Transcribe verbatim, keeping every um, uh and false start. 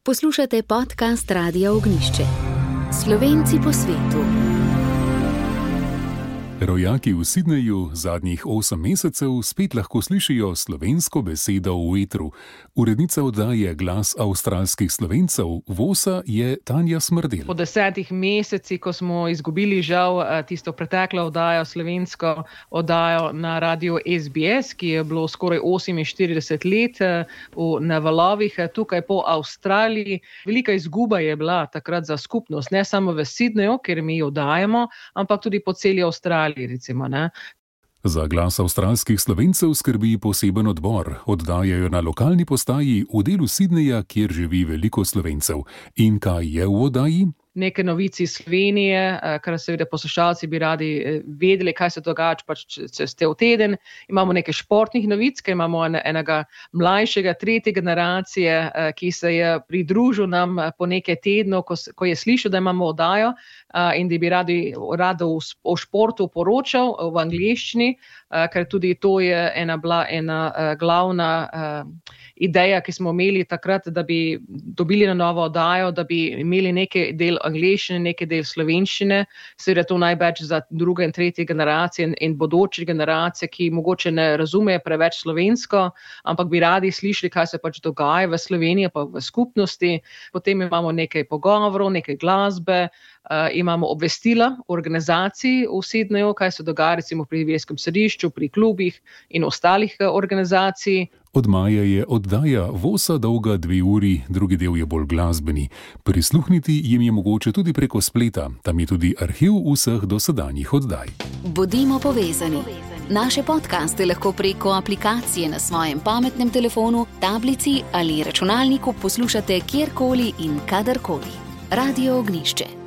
Poslušate podcast Radia Ognjišče. Slovenci po svetu. Rojaki v Sydneyju zadnjih osem mesecev spet lahko slišijo slovensko besedo v etru. Urednica oddaje Glas avstralskih Slovencev Vosa je Tanja Smrdelj. Po desetih mesecih, ko smo izgubili žal tisto preteklo oddajo, slovensko oddajo na radiu S B S, ki je bilo skoraj oseminštirideset let na valovih tukaj po Avstraliji. Velika izguba je bila takrat za skupnost, ne samo v Sydneyju, kjer mi oddajamo, ampak tudi po celi Avstraliji. Recimo, ne. Za Glas avstralskih Slovencev skrbi poseben odbor. Oddajajo na lokalni postaji v delu Sydneyja, kjer živi veliko Slovencev. In kaj je v oddaji? Neke novice iz Slovenije, kar seveda poslušalci bi radi vedeli, kaj se dogaja pač čez te teden. Imamo nekaj športnih novic, ker imamo enega mlajšega, tretje generacije, ki se je pridružil nam po nekaj tednov, ko, ko je slišal, da imamo oddajo in da bi radi, rado o športu poročal v angleščini, ker tudi to je ena, bila ena glavna ideja, ki smo imeli takrat, da bi dobili na novo oddajo, da bi imeli nekaj del angleščine, nekaj del slovenščine, seveda to največ za druge in tretje generacije in, in bodoče generacije, ki mogoče ne razumejo preveč slovensko, ampak bi radi slišali, kaj se pač dogaja v Sloveniji pa v skupnosti. Potem imamo nekaj pogovorov, nekaj glasbe, Uh, imamo obvestila o organizaciji v Sydneyju, kaj se dogaja recimo pri verskem središču, pri klubih in ostalih uh, organizacij. Od maja je oddaja Vosa dolga dve uri, drugi del je bolj glasbeni. Prisluhniti jim je mogoče tudi preko spleta, tam je tudi arhiv vseh dosedanjih oddaj. Bodimo povezani. Naše podcaste lahko preko aplikacije na svojem pametnem telefonu, tablici ali računalniku poslušate kjerkoli in kadarkoli. Radio Ognjišče.